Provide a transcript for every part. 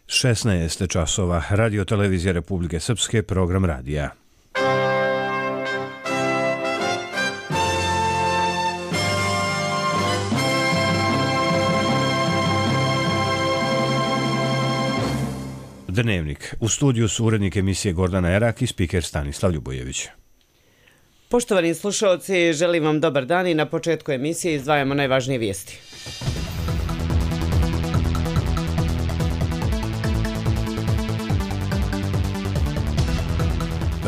16 časova, Radio Televizija Republike Srpske, program radija. Dnevnik. U studiju su urednik emisije Gordana Erak i spiker Stanislav Ljubojević. Poštovani slušalci, želim vam dobar dan i na početku emisije izdvajamo najvažnije vijesti.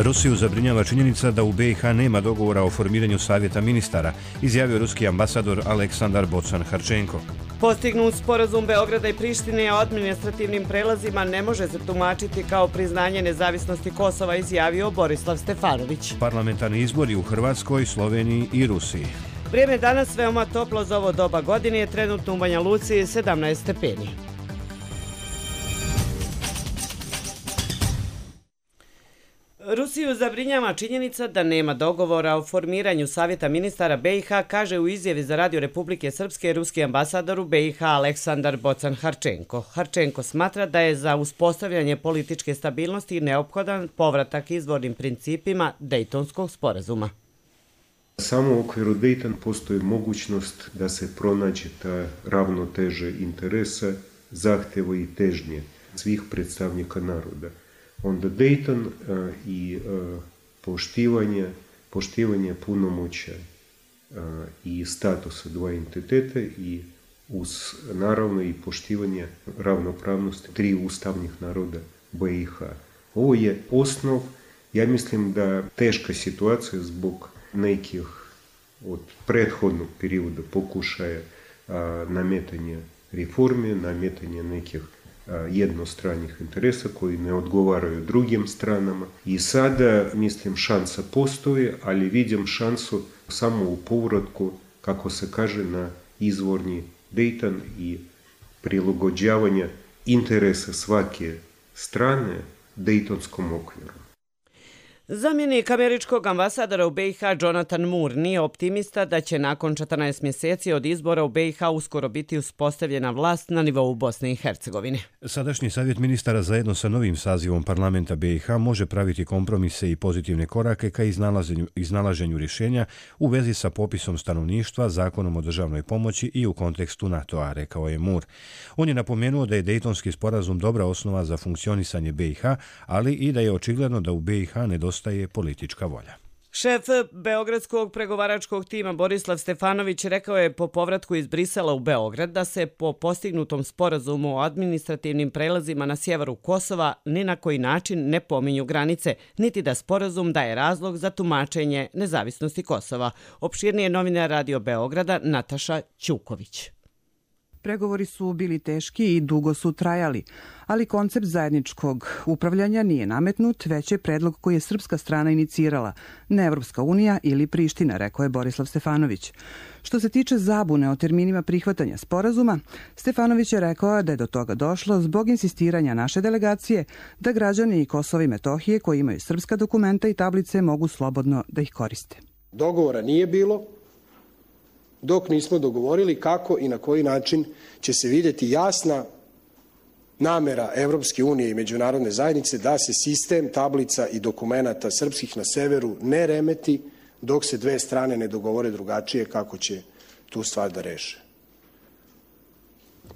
Rusiju zabrinjava činjenica da u BiH nema dogovora o formiranju savjeta ministara, izjavio ruski ambasador Aleksandar Bocan-Harčenko. Postignut sporazum Beograda i Prištine o administrativnim prelazima ne može se tumačiti kao priznanje nezavisnosti Kosova, izjavio Borislav Stefanović. Parlamentarni izbori u Hrvatskoj, Sloveniji i Rusiji. Vrijeme je danas veoma toplo za ovo doba godine, trenutno u Banja Luci 17 stepeni. Rusiju zabrinjava činjenica da nema dogovora o formiranju savjeta ministara BiH, kaže u izjavi za Radio Republike Srpske ruski ambasador u BiH Aleksandar Bocan-Harčenko. Harčenko smatra da je za uspostavljanje političke stabilnosti neophodan povratak izvornim principima Dejtonskog sporazuma. Samo u okviru Dejton postoji mogućnost da se pronađe ta ravnoteže interesa, zahtjeva i težnje svih predstavnika naroda. Onda Dayton i poštivanje punomoća i statusa dva entiteta i uz naravno i poštivanje ravnopravnosti tri ustavnih naroda BiH. Ovo je osnov, ja mislim da teška situacija zbog nekih od prethodnog perioda pokušaja nametanja reforme, nametanja nekih jednostranih interesa koji ne odgovaraju drugim stranama. I sada, mislim, šansa postoji, ali vidim šansu samo u povratku, kako se kaže, na izvorni Dayton i prilagođavanje interesa svake strane Dejtonskom okviru. Zamjenik američkog ambasadora u BiH Jonathan Moore nije optimista da će nakon 14 mjeseci od izbora u BiH uskoro biti uspostavljena vlast na nivou Bosne i Hercegovine. Sadašnji savjet ministara zajedno sa novim sazivom parlamenta BiH može praviti kompromise i pozitivne korake ka iznalaženju rješenja u vezi sa popisom stanovništva, zakonom o državnoj pomoći i u kontekstu NATO-a, rekao je Moore. On je napomenuo da je Dejtonski sporazum dobra osnova za funkcionisanje BiH, ali i da je očigledno da u BiH nedostaje politička volja. Šef beogradskog pregovaračkog tima Borislav Stefanović rekao je po povratku iz Brisela u Beograd da se po postignutom sporazumu o administrativnim prelazima na sjeveru Kosova ni na koji način ne pominju granice, niti da sporazum daje razlog za tumačenje nezavisnosti Kosova. Opširnije novinar Radio Beograda Nataša Ćuković. Pregovori su bili teški i dugo su trajali, ali koncept zajedničkog upravljanja nije nametnut, već je predlog koji je srpska strana inicirala, ne Evropska unija ili Priština, rekao je Borislav Stefanović. Što se tiče zabune o terminima prihvatanja sporazuma, Stefanović je rekao da je do toga došlo zbog insistiranja naše delegacije da građani Kosova i Metohije koji imaju srpska dokumenta i tablice mogu slobodno da ih koriste. Dogovora nije bilo dok nismo dogovorili kako i na koji način će se vidjeti jasna namera Evropske unije i međunarodne zajednice da se sistem tablica i dokumenata srpskih na severu ne remeti dok se dve strane ne dogovore drugačije kako će tu stvar da reše.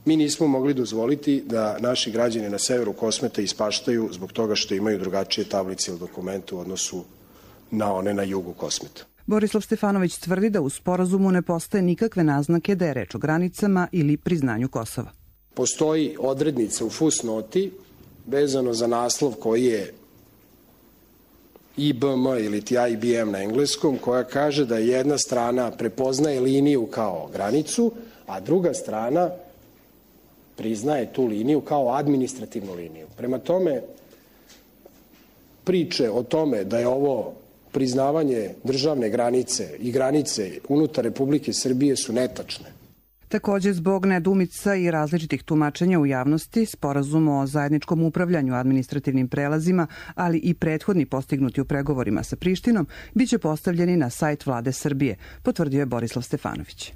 Mi nismo mogli dozvoliti da naši građani na severu Kosmeta ispaštaju zbog toga što imaju drugačije tablice ili dokumente u odnosu na one na jugu Kosmeta. Borislav Stefanović tvrdi da u sporazumu ne postoje nikakve naznake da je reč o granicama ili priznanju Kosova. Postoji odrednica u fusnoti vezano za naslov koji je IBM ili ti IBM na engleskom, koja kaže da jedna strana prepoznaje liniju kao granicu, a druga strana priznaje tu liniju kao administrativnu liniju. Prema tome, priče o tome da je ovo priznavanje državne granice i granice unutar Republike Srbije su netačne. Također, zbog nedoumica i različitih tumačenja u javnosti, sporazum o zajedničkom upravljanju administrativnim prelazima, ali i prethodni postignuti u pregovorima sa Prištinom, biće postavljeni na sajt vlade Srbije, potvrdio je Borislav Stefanović.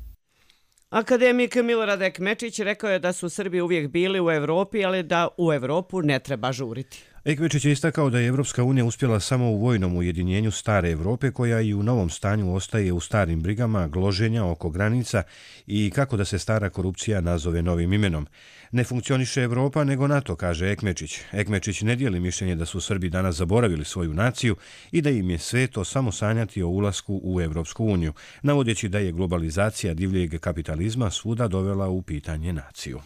Akademik Milorad Ekmečić rekao je da su Srbi uvijek bili u Evropi, ali da u Evropu ne treba žuriti. Ekmečić je istakao da je Evropska unija uspjela samo u vojnom ujedinjenju stare Evrope, koja i u novom stanju ostaje u starim brigama, gloženja oko granica i kako da se stara korupcija nazove novim imenom. Ne funkcioniše Evropa nego NATO, kaže Ekmečić. Ekmečić ne dijeli mišljenje da su Srbi danas zaboravili svoju naciju i da im je sveto samo sanjati o ulasku u Evropsku uniju, navodeći da je globalizacija divljeg kapitalizma svuda dovela u pitanje naciju.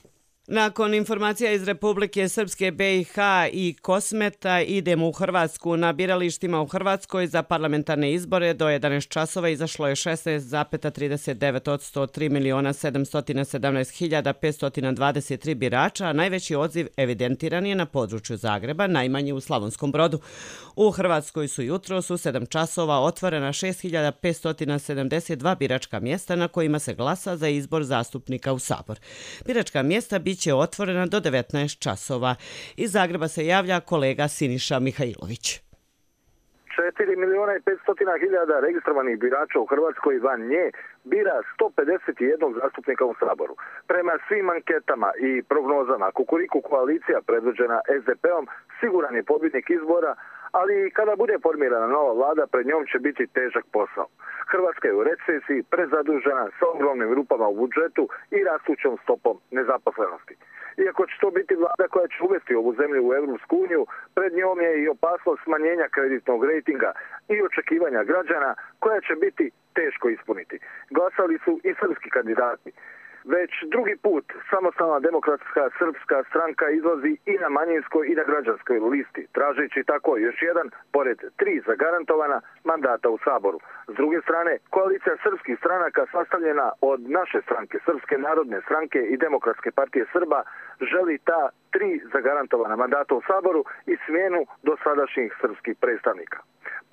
Nakon informacija iz Republike Srpske, BiH i Kosmeta idemo u Hrvatsku. Na biralištima u Hrvatskoj za parlamentarne izbore do 11 časova izašlo je 16,39% od 3.717.523 birača, a najveći odziv evidentiran je na području Zagreba, najmanji u Slavonskom Brodu. U Hrvatskoj su jutros u 7 časova otvorena 6.572 biračka mjesta na kojima se glasa za izbor zastupnika u Sabor. Biračka mjesta biće otvorena do 19 časova. Iz Zagreba se javlja kolega Siniša Mihajlović. 4.500.000 registrovanih birača u Hrvatskoj van nje bira 151 zastupnika u Saboru. Prema svim anketama i prognozama, Kukuriku koalicija predvođena SDP-om siguran je pobjednik izbora, ali kada bude formirana nova vlada, pred njom će biti težak posao. Hrvatska je u recesiji, prezadužena, sa ogromnim rupama u budžetu i rastućom stopom nezaposlenosti. Iako će to biti vlada koja će uvesti ovu zemlju u Evropsku uniju, pred njom je i opasnost smanjenja kreditnog rejtinga i očekivanja građana koja će biti teško ispuniti. Glasali su i srpski kandidati. Već drugi put samostalna demokratska srpska stranka izlazi i na manjinskoj i na građanskoj listi, tražeći tako još jedan, pored 3 zagarantovana mandata u Saboru. S druge strane, koalicija srpskih stranaka sastavljena od naše stranke, Srpske narodne stranke i Demokratske partije Srba, želi ta 3 zagarantovana mandata u Saboru i smjenu dosadašnjih srpskih predstavnika.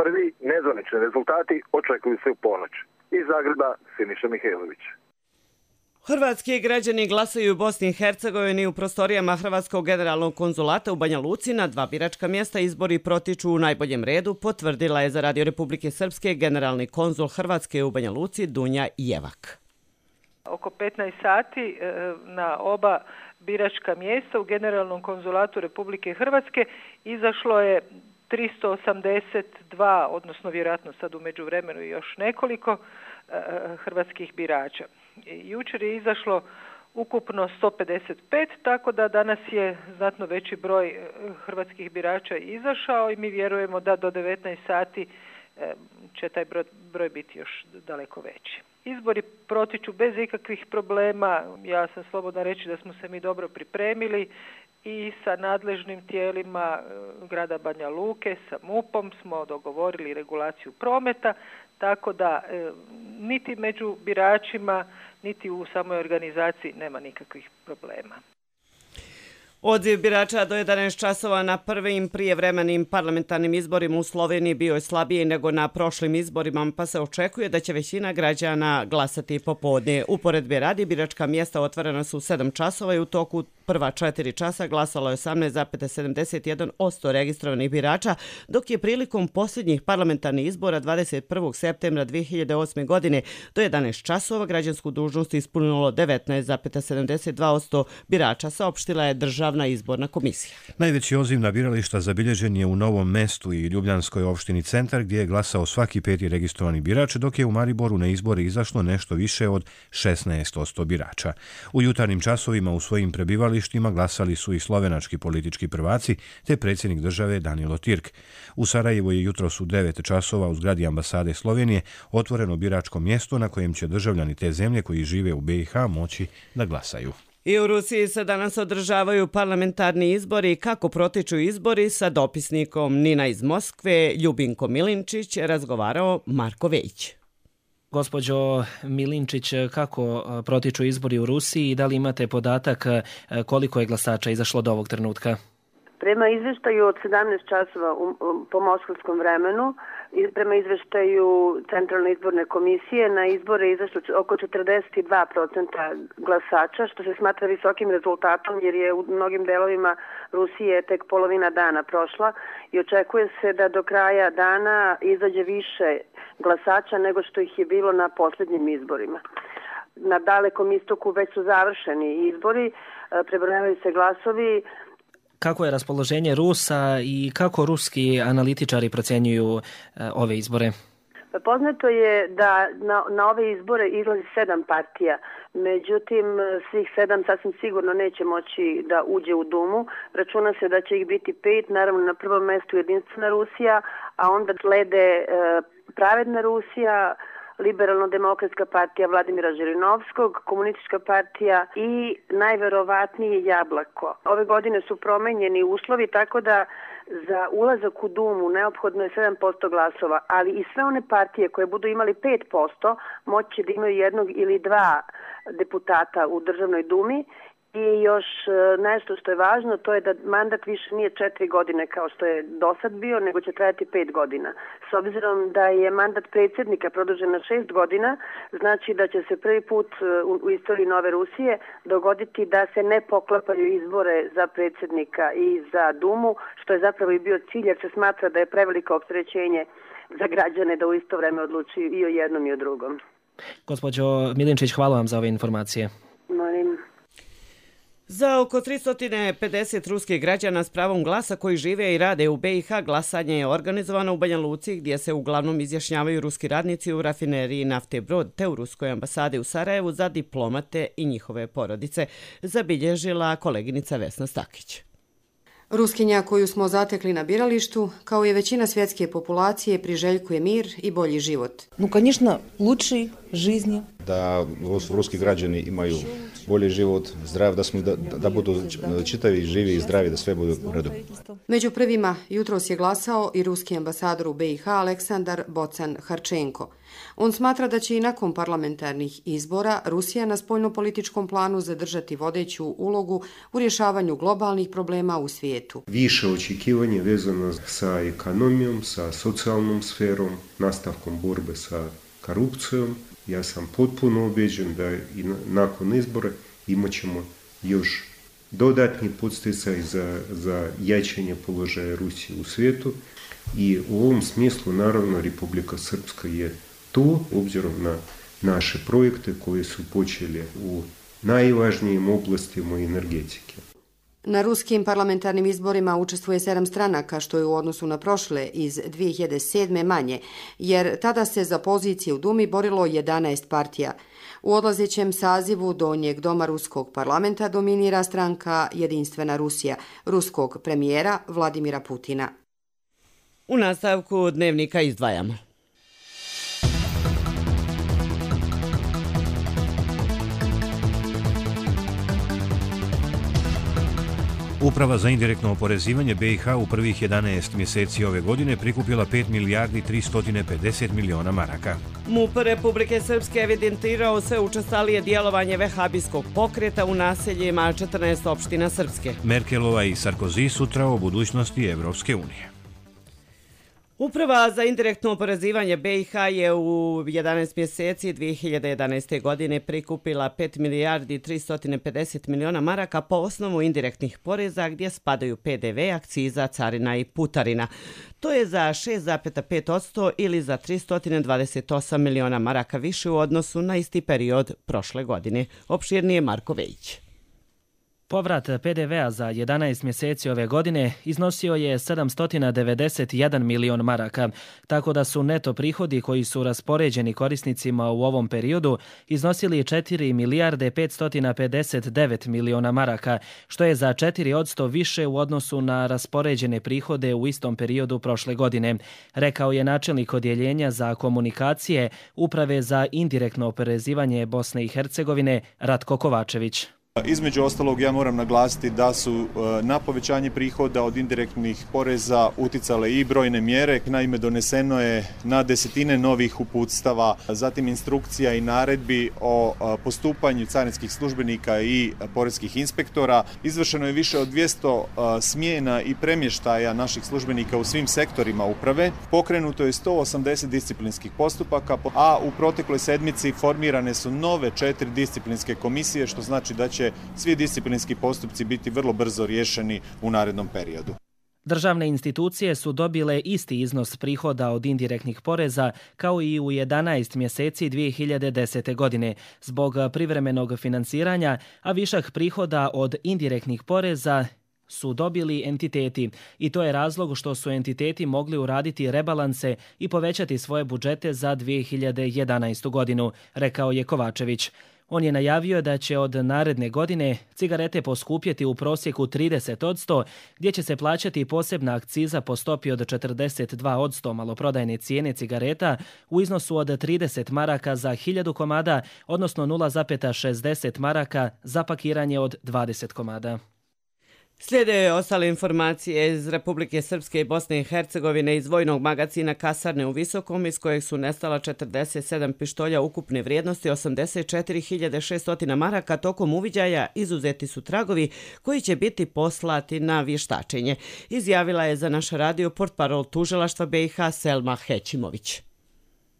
Prvi nezvanični rezultati očekuju se u ponoć. Iz Zagreba, Siniša Mihajlović. Hrvatski građani glasaju u Bosni i Hercegovini u prostorijama Hrvatskog generalnog konzulata u Banja Luci na 2 biračka mjesta. Izbori protiču u najboljem redu, potvrdila je za Radio Republike Srpske generalni konzul Hrvatske u Banja Luci Dunja Jevak. Oko 15 sati na oba biračka mjesta u generalnom konzulatu Republike Hrvatske izašlo je 382, odnosno vjerojatno sad u međuvremenu i još nekoliko hrvatskih birača. Jučer je izašlo ukupno 155, tako da danas je znatno veći broj hrvatskih birača izašao i mi vjerujemo da do 19 sati će taj broj biti još daleko veći. Izbori protiču bez ikakvih problema. Ja sam slobodna reći da smo se mi dobro pripremili i sa nadležnim tijelima grada Banja Luke, sa MUP-om smo dogovorili regulaciju prometa, tako da niti među biračima, niti u samoj organizaciji nema nikakvih problema. Odziv birača do 11 časova na prvim prijevremenim parlamentarnim izborima u Sloveniji bio je slabiji nego na prošlim izborima, pa se očekuje da će većina građana glasati popodne. Uporedbe radi, biračka mjesta otvorena su u 7 časova i u toku prva 4 časa glasalo je 18,71% registrovanih birača, dok je prilikom posljednjih parlamentarnih izbora 21. septembra 2008. godine do 11 časova građansku dužnost ispunilo 19,72% birača, saopštila je Državna izborna komisija. Najveći odziv na birališta zabilježen je u Novom Mestu i Ljubljanskoj opštini Centar, gdje je glasao svaki 5. registrovani birač, dok je u Mariboru na izbore izašlo nešto više od 16% birača. U jutarnjim časovima u svojim prebivalištima glasali su i slovenački politički prvaci te predsjednik države Danilo Tirk. U Sarajevu je jutros u 9 časova u zgradi ambasade Slovenije otvoreno biračko mjesto na kojem će državljani te zemlje koji žive u BiH moći da glasaju. I u Rusiji se danas održavaju parlamentarni izbori. Kako protiču izbori, sa dopisnikom Nina iz Moskve, Ljubinko Milinčić, razgovarao Marko Vejić. Gospođo Milinčić, kako protiču izbori u Rusiji i da li imate podatak koliko je glasača izašlo do ovog trenutka? Prema izveštaju od 17 časova po moskovskom vremenu, prema izveštaju Centralne izborne komisije, na izbore izašlo oko 42% glasača, što se smatra visokim rezultatom jer je u mnogim delovima Rusije tek polovina dana prošla i očekuje se da do kraja dana izađe više glasača nego što ih je bilo na posljednjim izborima. na Dalekom istoku već su završeni izbori, prebrojavaju se glasovi. Kako je raspoloženje Rusa i kako ruski analitičari procjenjuju ove izbore? Poznato je da na ove izbore izlazi 7 partija, međutim svih 7 sasvim sigurno neće moći da uđe u Dumu. Računa se da će ih biti 5, naravno na prvom mestu Jedinstvena Rusija, a onda slede Pravedna Rusija, Liberalno-demokratska partija Vladimira Žirinovskog, Komunistička partija i najverovatnije Jablako. Ove godine su promenjeni uslovi, tako da za ulazak u Dumu neophodno je 7% glasova, ali i sve one partije koje budu imali 5% moći da imaju 1 ili 2 deputata u Državnoj Dumi. I još nešto što je važno, to je da mandat više nije 4 godine kao što je do sad bio, nego će trajati 5 godina. S obzirom da je mandat predsjednika produžen na 6 godina, znači da će se prvi put u istoriji Nove Rusije dogoditi da se ne poklapaju izbore za predsjednika i za Dumu, što je zapravo i bio cilj, jer se smatra da je preveliko opterećenje za građane da u isto vreme odlučuju i o jednom i o drugom. Gospođo Milinčić, hvala vam za ove informacije. Molim. Za oko 350 ruskih građana s pravom glasa koji žive i rade u BiH glasanje je organizovano u Banja Luci, gdje se uglavnom izjašnjavaju ruski radnici u rafineriji nafte Brod te u Ruskoj ambasadi u Sarajevu za diplomate i njihove porodice, zabilježila koleginica Vesna Stakić. Ruskinja koju smo zatekli na biralištu, kao i većina svjetske populacije, priželjkuje mir i bolji život. Конечно, лучшей жизни. Da ruski građani imaju bolji život, zdrav, da budu čitavi, živi i zdravi, da sve bude u redu. Među prvima jutros je glasao i ruski ambasador u BiH Aleksandar Bocan-Harčenko. On smatra da će i nakon parlamentarnih izbora Rusija na spoljnopolitičkom planu zadržati vodeću ulogu u rješavanju globalnih problema u svijetu. Više očekivanje vezano sa ekonomijom, sa socijalnom sferom, nastavkom borbe sa korupcijom. Ja sam potpuno ubeđen da i nakon izbora imat ćemo još dodatni podsticaj za jačanje položaja Rusije u svijetu i u ovom smislu naravno Republika Srpska je tu, obzirom na naše projekte koje su počeli u najvažnijim oblastima energetike. Na ruskim parlamentarnim izborima učestvuje 7 stranaka, što je u odnosu na prošle iz 2007. manje, jer tada se za pozicije u Dumi borilo 11 partija. U odlazećem sazivu Donjeg doma ruskog parlamenta dominira stranka Jedinstvena Rusija, ruskog premijera Vladimira Putina. U nastavku dnevnika izdvajamo. Uprava za indirektno oporezivanje BiH u prvih 11 mjeseci ove godine prikupila 5 milijardi 350 miliona maraka. MUP Republike Srpske evidentirao sve učestalije djelovanje vehabijskog pokreta u naseljima 14 opština Srpske. Merkelova i Sarkozy sutra o budućnosti Evropske unije. Uprava za indirektno oporezivanje BiH je u 11 mjeseci 2011. godine prikupila 5 milijardi 350 miliona maraka po osnovu indirektnih poreza gdje spadaju PDV, akciza, carina i putarina. To je za 6,5% ili za 328 miliona maraka više u odnosu na isti period prošle godine. Opširnije Marko Vejić. Povrat PDV-a za 11 mjeseci ove godine iznosio je 791 milion maraka, tako da su neto prihodi koji su raspoređeni korisnicima u ovom periodu iznosili 4 milijarde 559 miliona maraka, što je za 4% više u odnosu na raspoređene prihode u istom periodu prošle godine, rekao je načelnik odjeljenja za komunikacije Uprave za indirektno oporezivanje Bosne i Hercegovine Ratko Kovačević. Između ostalog, ja moram naglasiti da su na povećanje prihoda od indirektnih poreza uticale i brojne mjere. Naime, doneseno je na desetine novih uputstava, zatim instrukcija i naredbi o postupanju carinskih službenika i poreskih inspektora. Izvršeno je više od 200 smjena i premještaja naših službenika u svim sektorima uprave. Pokrenuto je 180 disciplinskih postupaka, a u protekloj sedmici formirane su nove 4 disciplinske komisije, što znači da će svi disciplinski postupci biti vrlo brzo riješeni u narednom periodu. Državne institucije su dobile isti iznos prihoda od indirektnih poreza kao i u 11 mjeseci 2010. godine zbog privremenog financiranja, a višak prihoda od indirektnih poreza su dobili entiteti i to je razlog što su entiteti mogli uraditi rebalanse i povećati svoje budžete za 2011. godinu, rekao je Kovačević. On je najavio da će od naredne godine cigarete poskupjeti u prosjeku 30%, gdje će se plaćati posebna akciza po stopi od 42% maloprodajne cijene cigareta u iznosu od 30 maraka za 1000 komada, odnosno 0,60 maraka za pakiranje od 20 komada. Slijede ostale informacije iz Republike Srpske i Bosne i Hercegovine iz vojnog magacina Kasarne u Visokom, iz kojeg su nestala 47 pištolja ukupne vrijednosti 84.600 maraka. Tokom uviđaja izuzeti su tragovi koji će biti poslati na vještačenje, izjavila je za naš radio portparol tužilaštva BiH Selma Hećimović.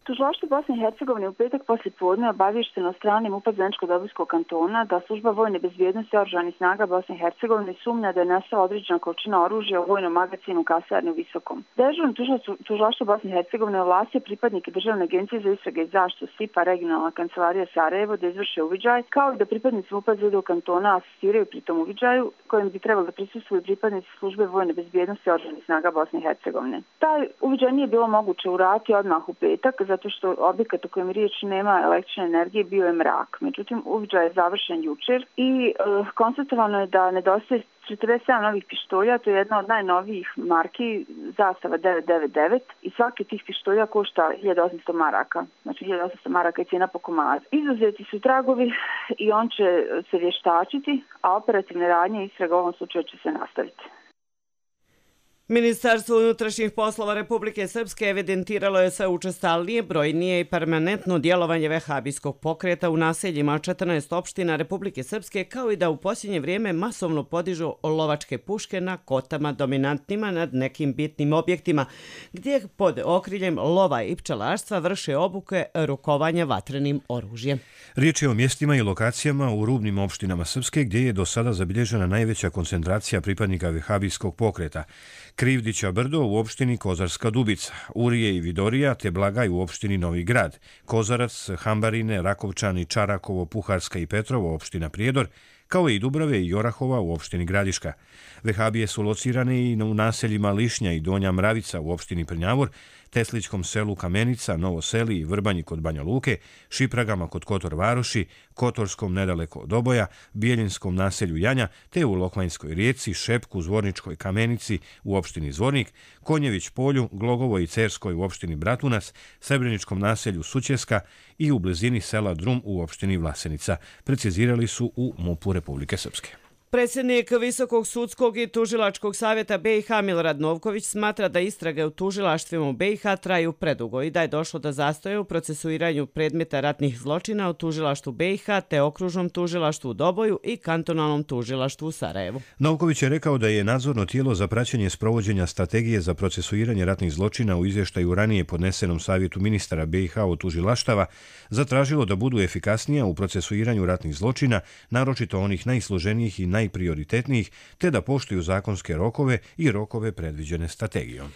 Tužilaštvo Bosne i Hercegovine u petak poslije podne obavješteno od strane MUP-a Zeničko-Dobojskog kantona da služba vojne bezbjednosti oružanih snaga Bosne i Hercegovine sumnja da je nestala određena količina oružja u vojnom magacinu Kasarne u Visokom. Dežurno tužilaštvo Bosne i Hercegovine ovlastio pripadnike Državne agencije za istrage i zaštitu SIPA regionalna kancelarija Sarajevo da izvrše uviđaj, kao i da pripadnici MUP-a Zeničkog kantona asistiraju pri tom uviđaju, kojim bi trebalo da prisustvuju pripadnici službe vojne bezbjednosti oružanih snaga Bosne i Hercegovine. Taj uviđaj nije bilo moguće uraditi odmah u petak, zato što objekat u kojem riječ nema električne energije bio je mrak. Međutim, uviđaj je završen jučer i konstatovano je da nedostaje 47 novih pištolja, to je jedna od najnovijih marki, zastava 999 i svaki tih pištolja košta 1800 maraka. Znači 1800 maraka je cijena po komadu. Izuzeti su tragovi i on će se vještačiti, a operativne radnje istraga u ovom slučaju će se nastaviti. Ministarstvo unutrašnjih poslova Republike Srpske evidentiralo je sve učestalnije, brojnije i permanentno djelovanje vehabijskog pokreta u naseljima 14 opština Republike Srpske, kao i da u posljednje vrijeme masovno podižu lovačke puške na kotama dominantnima nad nekim bitnim objektima, gdje pod okriljem lova i pčelarstva vrše obuke rukovanja vatrenim oružjem. Riječ je o mjestima i lokacijama u rubnim opštinama Srpske gdje je do sada zabilježena najveća koncentracija pripadnika vehabijskog pokreta. Krivdića brdo u opštini Kozarska Dubica, Urije i Vidorija te Blagaj u opštini Novi Grad, Kozarac, Hambarine, Rakovčani, Čarakovo, Puharska i Petrovo opština Prijedor, kao i Dubrave i Jorahova u opštini Gradiška. Vehabije su locirane i u naseljima Lišnja i Donja Mravica u opštini Prnjavor, Teslićkom selu Kamenica, Novo Seli i Vrbanji kod Banja Luke, Šipragama kod Kotor Varoši, Kotorskom nedaleko od Oboja, Bijeljinskom naselju Janja, te u Lokvanjskoj rijeci, Šepku, Zvorničkoj Kamenici u opštini Zvornik, Konjević polju, Glogovoj i Cerskoj u opštini Bratunac, Srebreničkom naselju Sućeska i u blizini sela Drum u opštini Vlasenica, precizirali su u MUP-u Republike Srpske. Predsjednik Visokog sudskog i tužilačkog savjeta BiH Milorad Novković smatra da istrage u tužilaštvima u BiH traju predugo i da je došlo do zastoja u procesuiranju predmeta ratnih zločina u tužilaštvu BiH te okružnom tužilaštvu u Doboju i kantonalnom tužilaštvu u Sarajevu. Novković je rekao da je nadzorno tijelo za praćenje sprovođenja strategije za procesuiranje ratnih zločina u izvještaju ranije podnesenom savjetu ministara BiH od tužilaštava zatražilo da budu efikasnija u procesuiranju ratnih zločina, naročito onih najsloženijih i najprioritetnijih, te da poštuju zakonske rokove i rokove predviđene strategijom.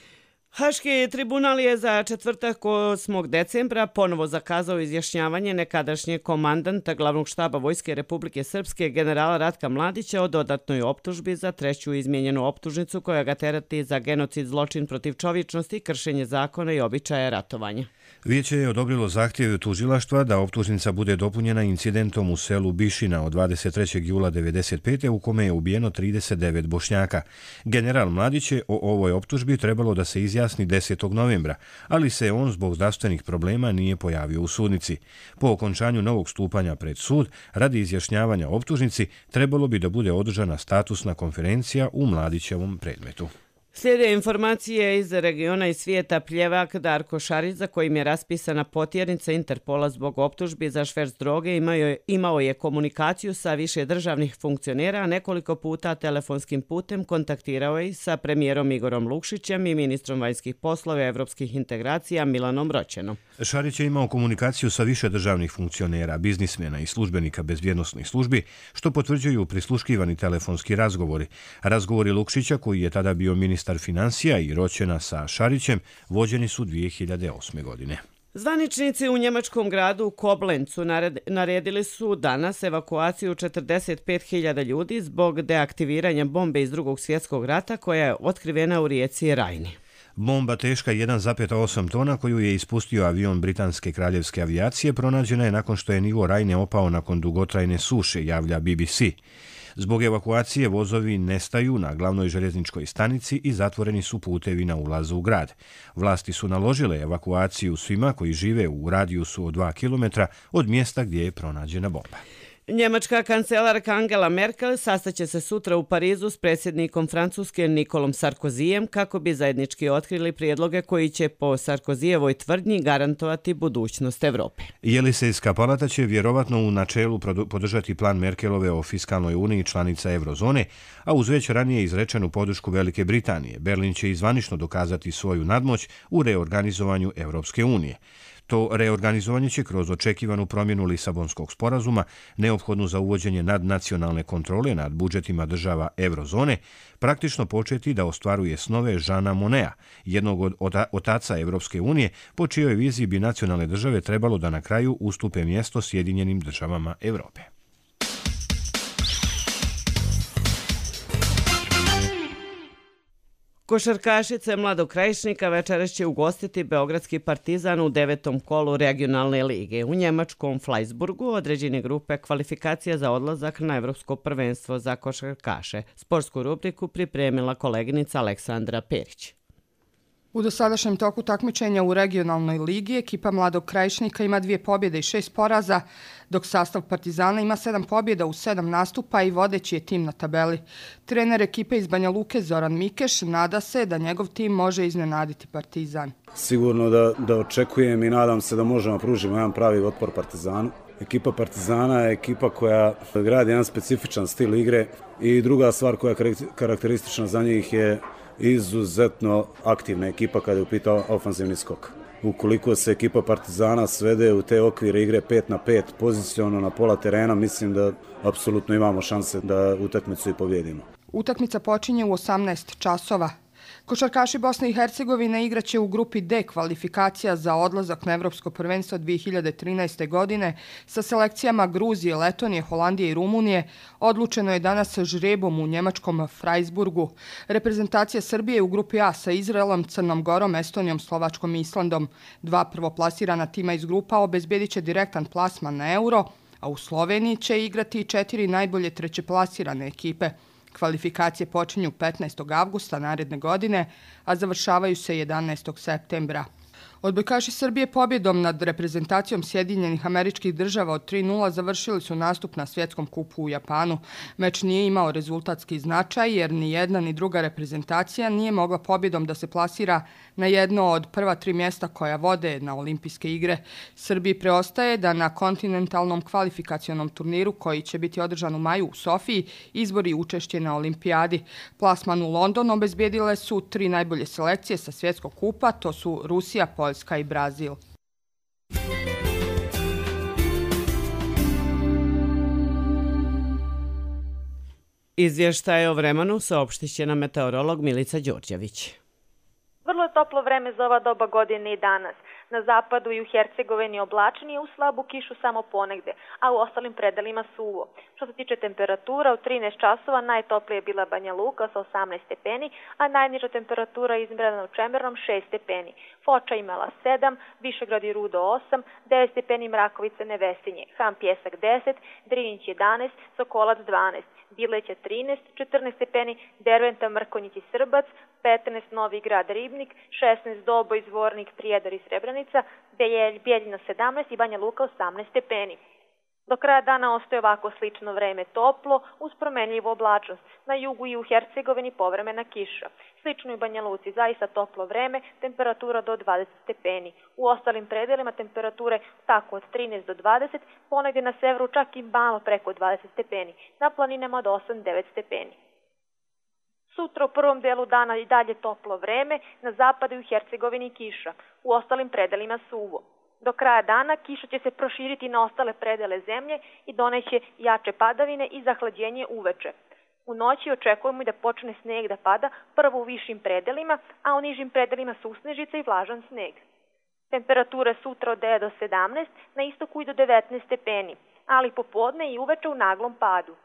Haški tribunal je za četvrtak 8. decembra ponovo zakazao izjašnjavanje nekadašnjeg komandanta glavnog štaba Vojske Republike Srpske generala Ratka Mladića o dodatnoj optužbi za treću izmijenjenu optužnicu koja ga tereti za genocid, zločin protiv čovječnosti, kršenje zakona i običaja ratovanja. Vijeće je odobrilo zahtjev tužilaštva da optužnica bude dopunjena incidentom u selu Bišina od 23. jula 1995. u kome je ubijeno 39 Bošnjaka. General Mladić je o ovoj optužbi trebalo da se izjasni 10. novembra, ali se on zbog zdravstvenih problema nije pojavio u sudnici. Po okončanju novog stupanja pred sud, radi izjašnjavanja optužnici, trebalo bi da bude održana statusna konferencija u Mladićevom predmetu. Slijede informacije iz regiona i svijeta. Pljevak Darko Šarić, za kojim je raspisana potjernica Interpola zbog optužbi za šverc droge, imao je komunikaciju sa više državnih funkcionera, a nekoliko puta telefonskim putem kontaktirao je sa premijerom Igorom Lukšićem i ministrom vanjskih poslova i evropskih integracija Milanom Roćenom. Šarić je imao komunikaciju sa više državnih funkcionera, biznismena i službenika bezbjednosnih službi, što potvrđuju prisluškivani telefonski razgovori. Razgovori Lukšića, koji je tada bio ministar ministar financija i roćena sa Šarićem vođeni su 2008. godine. Zvaničnici u njemačkom gradu Koblencu naredili su danas evakuaciju 45.000 ljudi zbog deaktiviranja bombe iz Drugog svjetskog rata koja je otkrivena u rijeci Rajni. Bomba teška 1,8 tona koju je ispustio avion britanske kraljevske avijacije pronađena je nakon što je nivo Rajne opao nakon dugotrajne suše, javlja BBC. Zbog evakuacije vozovi nestaju na glavnoj željezničkoj stanici i zatvoreni su putevi na ulazu u grad. Vlasti su naložile evakuaciju svima koji žive u radijusu od 2 km od mjesta gdje je pronađena bomba. Njemačka kancelarka Angela Merkel sastaće se sutra u Parizu s predsjednikom Francuske Nikolom Sarkozijem kako bi zajednički otkrili prijedloge koji će po Sarkozijevoj tvrdnji garantovati budućnost Evrope. Jelisejska palata će vjerovatno u načelu podržati plan Merkelove o fiskalnoj uniji članica eurozone, a uz već ranije izrečenu podršku Velike Britanije, Berlin će izvanično dokazati svoju nadmoć u reorganizovanju Europske unije. To reorganizovanje će kroz očekivanu promjenu Lisabonskog sporazuma, neophodnu za uvođenje nadnacionalne kontrole nad budžetima država eurozone, praktično početi da ostvaruje snove Jeana Monneta, jednog od otaca Europske unije, po čijoj viziji bi nacionalne države trebalo da na kraju ustupe mjesto Sjedinjenim državama Europe. Košarkašice Mladog Krajišnika večeras će ugostiti Beogradski Partizan u 9. kolu regionalne lige. U njemačkom Fleisburgu određene grupe kvalifikacija za odlazak na Evropsko prvenstvo za košarkaše. Sportsku rubriku pripremila koleginica Aleksandra Perić. U dosadašnjem toku takmičenja u regionalnoj ligi ekipa Mladog Krajišnika ima 2 pobjede i 6 poraza, dok sastav Partizana ima 7 pobjeda u 7 nastupa i vodeći je tim na tabeli. Trener ekipe iz Banja Luke Zoran Mikeš nada se da njegov tim može iznenaditi Partizan. Sigurno da očekujem i nadam se da možemo pružiti jedan pravi otpor Partizanu. Ekipa Partizana je ekipa koja gradi jedan specifičan stil igre i druga stvar koja je karakteristična za njih je izuzetno aktivna ekipa kada je u pitanju ofanzivni skok. Ukoliko se ekipa Partizana svede u te okvire igre 5-5 poziciono na pola terena, mislim da apsolutno imamo šanse da utakmicu i pobjedimo. Utakmica počinje u 18 časova. Košarkaši Bosne i Hercegovine igraće u grupi D kvalifikacija za odlazak na Evropsko prvenstvo 2013. godine sa selekcijama Gruzije, Letonije, Holandije i Rumunije. Odlučeno je danas žrebom u njemačkom Freiburgu. Reprezentacija Srbije u grupi A sa Izraelom, Crnom Gorom, Estonijom, Slovačkom i Islandom. 2 prvoplasirana tima iz grupa obezbedit će direktan plasman na Euro, a u Sloveniji će igrati 4 najbolje trećeplasirane ekipe. Kvalifikacije počinju 15. avgusta naredne godine, a završavaju se 11. septembra. Odbojkaši Srbije pobjedom nad reprezentacijom Sjedinjenih Američkih Država od 3:0 završili su nastup na svjetskom kupu u Japanu. Meč nije imao rezultatski značaj jer ni jedna ni druga reprezentacija nije mogla pobjedom da se plasira na jedno od prva 3 mjesta koja vode na olimpijske igre. Srbiji preostaje da na kontinentalnom kvalifikacionom turniru koji će biti održan u maju u Sofiji izbori učešće na olimpijadi. Plasman u London obezbjedile su 3 najbolje selekcije sa svjetskog kupa, to su Rusija, Poljska i Brazil. Izvještaj o vremenu saopštit će nam meteorolog Milica Đorđević. Vrlo je toplo vreme za ova doba godine i danas. Na zapadu i u Hercegovini oblačnije, u slabu kišu samo ponegde, a u ostalim predelima suvo. Što se tiče temperatura, u 13 časova najtoplije je bila Banja Luka sa 18 stepeni, a najniža temperatura izmjerena u Čemernom 6 stepeni. Foča imala 7, Višegrad i Rudo 8, 9 stepeni Mrakovica Nevesinje, Ham Pjesak 10, Drinić 11, Sokolac 12, Bileća 13, 14 stepeni, Derventa, Mrkonjić i Srbac, 15 Novi Grad Ribnik, 16 Doboj, Zvornik, Prijedor i Srebrenica, Bijeljina 17 i Banja Luka 18 stepeni. Do kraja dana ostaje ovako slično vreme toplo, uz promenljivu oblačnost. Na jugu i u Hercegovini povremena kiša. Slično i u Banja Luci, zaista toplo vreme, temperatura do 20 stepeni. U ostalim predelima temperature tako od 13 do 20, ponegdje na severu čak i malo preko 20 stepeni. Na planinama od 8-9 stepeni. Sutra u prvom delu dana i dalje toplo vreme, na zapadu i u Hercegovini kiša, u ostalim predelima suvo. Do kraja dana kiša će se proširiti na ostale predele zemlje i doneće jače padavine i zahlađenje uveče. U noći očekujemo i da počne sneg da pada prvo u višim predelima, a u nižim predelima susnežica i vlažan sneg. Temperature sutra od 9 do 17, na istoku i do 19 stepeni, ali popodne i uveče u naglom padu.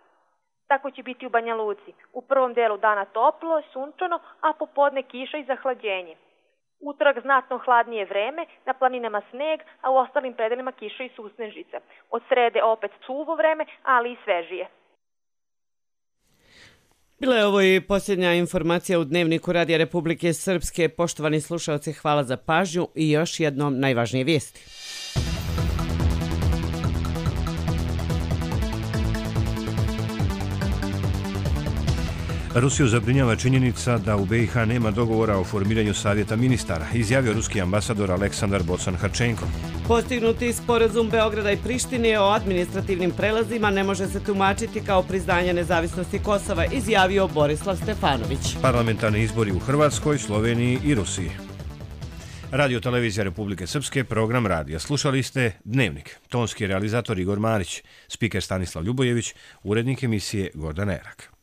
Tako će biti u Banja Luci. U prvom delu dana toplo, sunčano, a popodne kiša i zahlađenje. Utorak znatno hladnije vreme, na planinama sneg, a u ostalim predelima kiša i susnežica. Od srede opet suvo vreme, ali i svežije. Bila je ovo i posljednja informacija u Dnevniku Radija Republike Srpske. Poštovani slušalci, hvala za pažnju i još jednom najvažnije vijesti. Rusiju zabrinjava činjenica da u BiH nema dogovora o formiranju savjeta ministara, izjavio ruski ambasador Aleksandar Bocan-Harčenko. Postignuti sporazum Beograda i Prištine o administrativnim prelazima ne može se tumačiti kao priznanje nezavisnosti Kosova, izjavio Borislav Stefanović. Parlamentarni izbori u Hrvatskoj, Sloveniji i Rusiji. Radio Televizija Republike Srpske, program radija. Slušali ste Dnevnik. Tonski realizator Igor Marić, spiker Stanislav Ljubojević, urednik emisije Gordan Erak.